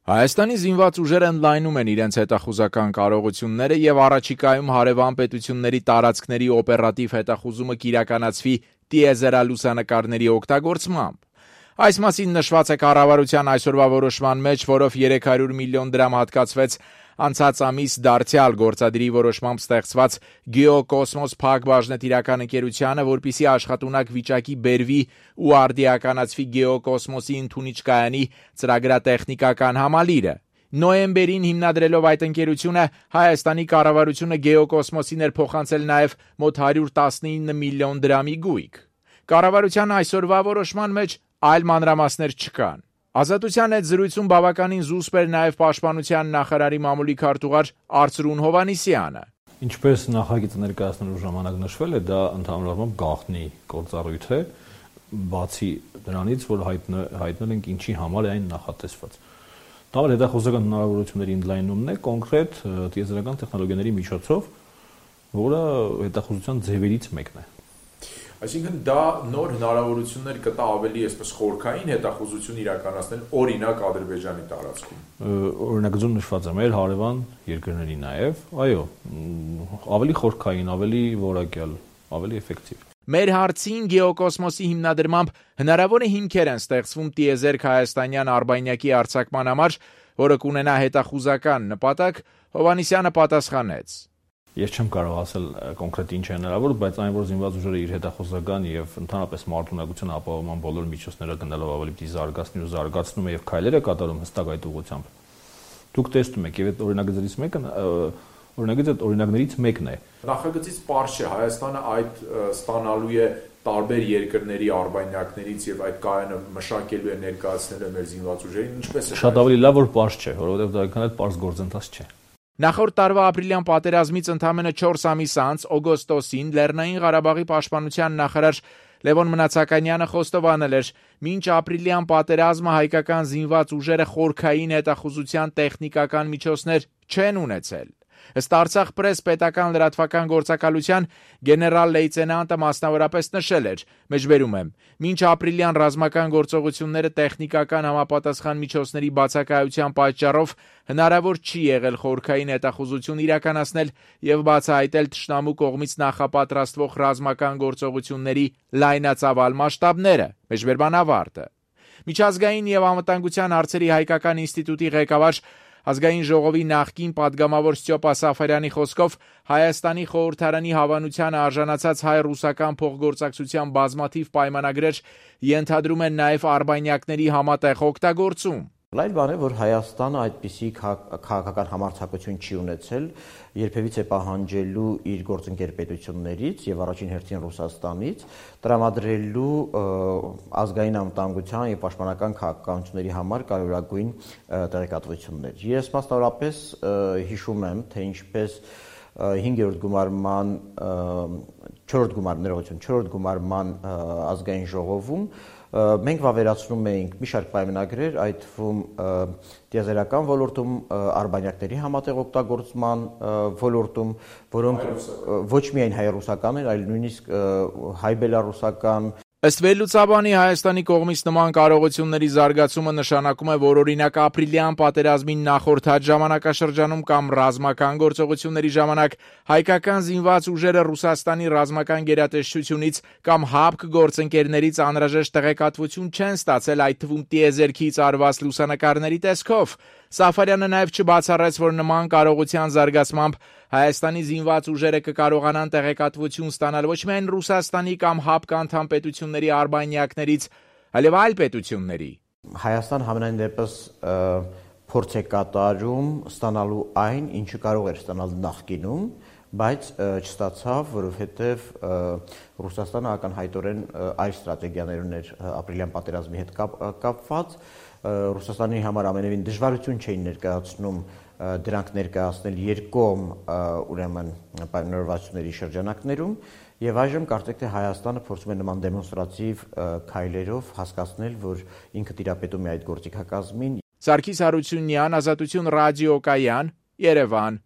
Հայաստանի զինված ուժերը ընդլայնում են իրենց հետախուզական կարողությունները եւ առաջիկայում հարևան պետությունների տարածքների օպերատիվ հետախուզումը կիրականացվի տիեզերալուսանկարների օգտագործմամբ։ Այս մասին նշված է կառավարության այսօրվա որոշման մեջ, որով 300 միլիոն դրամ հատկացվեց անցած ամիս դարձյալ գործադիրի որոշմամբ ստեղծված Գեոկոսմոս փակ բաժնետիրական ընկերությանը, որպիսի աշխատունակ վիճակի բերվի ու արդիականացվի Գեոկոսմոսի ընդունիչ կայանի ծրագրատեխնիկական համալիրը։ Նոյեմբերին հիմնադրելով այդ ընկերությունը, Հայաստանի կառավարությունը Գեոկոսմոսին էր փոխանցել նաև մոտ 119 միլիոն դրամի գույք։ Կառավարության այսօրվա որոշման մեջ այլ մանրամասներ չկան։ Ազատության հետ զրույցում բավականին զուսպ էր նաև Պաշտպանության նախարարի մամուլի քարտուղար Արծրուն Հովհաննիսյանը։ Ինչպես նախագիծը ներկայացնելու ժամանակ նշվել է, դա ընդհանուր առմամբ գաղտնի գործառույթ է, բացի դրանից, որ հայտնել ենք ինչի համար է այն նախատեսված։ Դա հետախուզական հնարավորությունների ընդլայնումն է կոնկրետ տիեզերական տեխնոլոգիաների միջոցով, որը հետախուզության ձևերից մեկն է։ Այսինքն դա նոր հնարավորություններ կտա ավելի այսպես խորքային հետախուզություն իրականացնել օրինակ Ադրբեջանի տարածքում։ Օրինագծում նշված է մեր հարևան երկրների նաև, այո, ավելի խորքային, ավելի որակյալ, ավելի էֆեկտիվ։ Մեր հարցին Գեոկոսմոսի հիմնադրմամբ հնարավոր է հիմքեր են ստեղծվում տիեզերք հայաստանյան արբանյակի արձակման համար, որը կունենա հետախուզական նպատակ, Հովհաննիսյանը պատասխանեց. Ես չեմ կարող ասել կոնկրետ ինչ է հնարավոր, բայց այն որ զինված ուժերը իր հետախուզական եւ ընդհանրապես մարդունակության ապահովման բոլոր միջոցները գնալով ավելի պիտի զարգացնի ու զարգացնում է եւ քայլեր է կատարում հստակ այդ ուղղությամբ։ Դուք տեսնում եք, եւ այդ օրինագծներից մեկն է։ Նախագծից պարզ չէ, Հայաստանը այդ ստանալու է տարբեր երկրների արբանյակներից եւ այդ կայանը մշակելու է ներկայացնելու մեր զինված ուժերին, ինչպես է։ Շատ ավելի լավ որ պարզ չէ, որովհետեւ դա այդքան էլ պարզ գործընթաց չէ։ Նախորդ տարվա ապրիլյան պատերազմից ընդամենը 4 ամիս անց օգոստոսին Լեռնային Ղարաբաղի պաշտպանության նախարար Լևոն Մնացականյանը խոստովանել էր. «Մինչ ապրիլյան պատերազմը հայկական զինված ուժերը խորքային հետախուզության տեխնիկական միջոցներ չեն ունեցել»։ Ըստ Արցախ պրես պետական լրատվական գործակալության գեներալ լեյտենանտը մասնավորապես նշել էր. «Մեջբերում եմ. Մինչ ապրիլյան ռազմական գործողությունները տեխնիկական համապատասխան միջոցների բացակայության պատճառով հնարավոր չի եղել խորքային հետախուզություն իրականացնել եւ բացահայտել թշնամու կողմից նախապատրաստվող ռազմական գործողությունների լայնածավալ մասշտաբները»։ Մեջբերման ավարտը։ Միջազգային եւ անվտանգության հարցերի հայկական ինստիտուտի ղեկավար Ազգային ժողովի նախկին падգամավոր Ստյոպա Սաֆարյանի խոսքով Հայաստանի խորհրդարանի հավանությանը արժանացած հայ-ռուսական փոխգործակցության բազմաթիվ պայմանագրեր ենթադրում են նաև արբանյակների համատեղ օգտագործում։ Այլ բան է, որ Հայաստանը այդպիսի քաղաքական համարձակություն չի ունեցել, երբևիցե պահանջելու իր գործընկեր պետություններից եւ առաջին հերթին Ռուսաստանից տրամադրելու ազգային անվտանգության եւ պաշտպանական քաղաքականությունների համար կարևորագույն տեղեկատվություններ։ Ես մասնավորապես հիշում եմ, թե ինչպես 5-րդ գումարման 4-րդ գումարման ազգային ժողովում մենք վավերացնում էինք մի շարք պայմանագրեր, այդ թվում տիեզերական ոլորտում, արբանյակների համատեղ օգտագործման ոլորտում, որոնք ոչ միայն հայ-ռուսական են, այլ նույնիսկ հայ-բելառուսական։ Ըստ վերլուծաբանի Հայաստանի կողմից նման կարողությունների զարգացումը նշանակում է, որ օրինակ ապրիլյան պատերազմին նախորդած ժամանակաշրջանում կամ ռազմական գործողությունների ժամանակ հայկական զինված ուժերը Ռուսաստանի ռազմական գերատեսչությունից կամ ՀԱՊԿ գործընկերներից անհրաժեշտ տեղեկատվություն չեն ստացել, այդ թվում տիեզերքից արված լուսանկարների տեսքով։ Սաֆարյանը նաև չբացառեց, որ նման կարողության զարգացմամբ Հայաստանի զինված ուժերը կկարողանան տեղեկատվություն ստանալ ոչ միայն Ռուսաստանի կամ ՀԱՊԿ անդամ պետությունների արբանյակներից, այլև այլ պետությունների։ Հայաստան համենայն դեպս փորձ է կատարում ստանալու այն, ինչը կարող էր ստանալ նախկինում, բայց չստացավ, որովհետև Ռուսաստանը ակնհայտորեն այլ ստրատեգիաներ ուներ ապրիլյան պատերազմի հետ կապված։ Ռուսաստանի համար ամենևին դժվարություն չէին ներկայացնում դրանք ներկայացնել երկկողմ ուրեմն պայմանավորվածությունների շրջանակներում եւ այժմ կարծեք թե Հայաստանը փորձում է նման դեմոնստրատիվ քայլերով հասկացնել, որ ինքը տիրապետում է այդ գործիքակազմին։ Սարգիս Հարությունյան, Ազատություն ռադիոկայան, Երևան։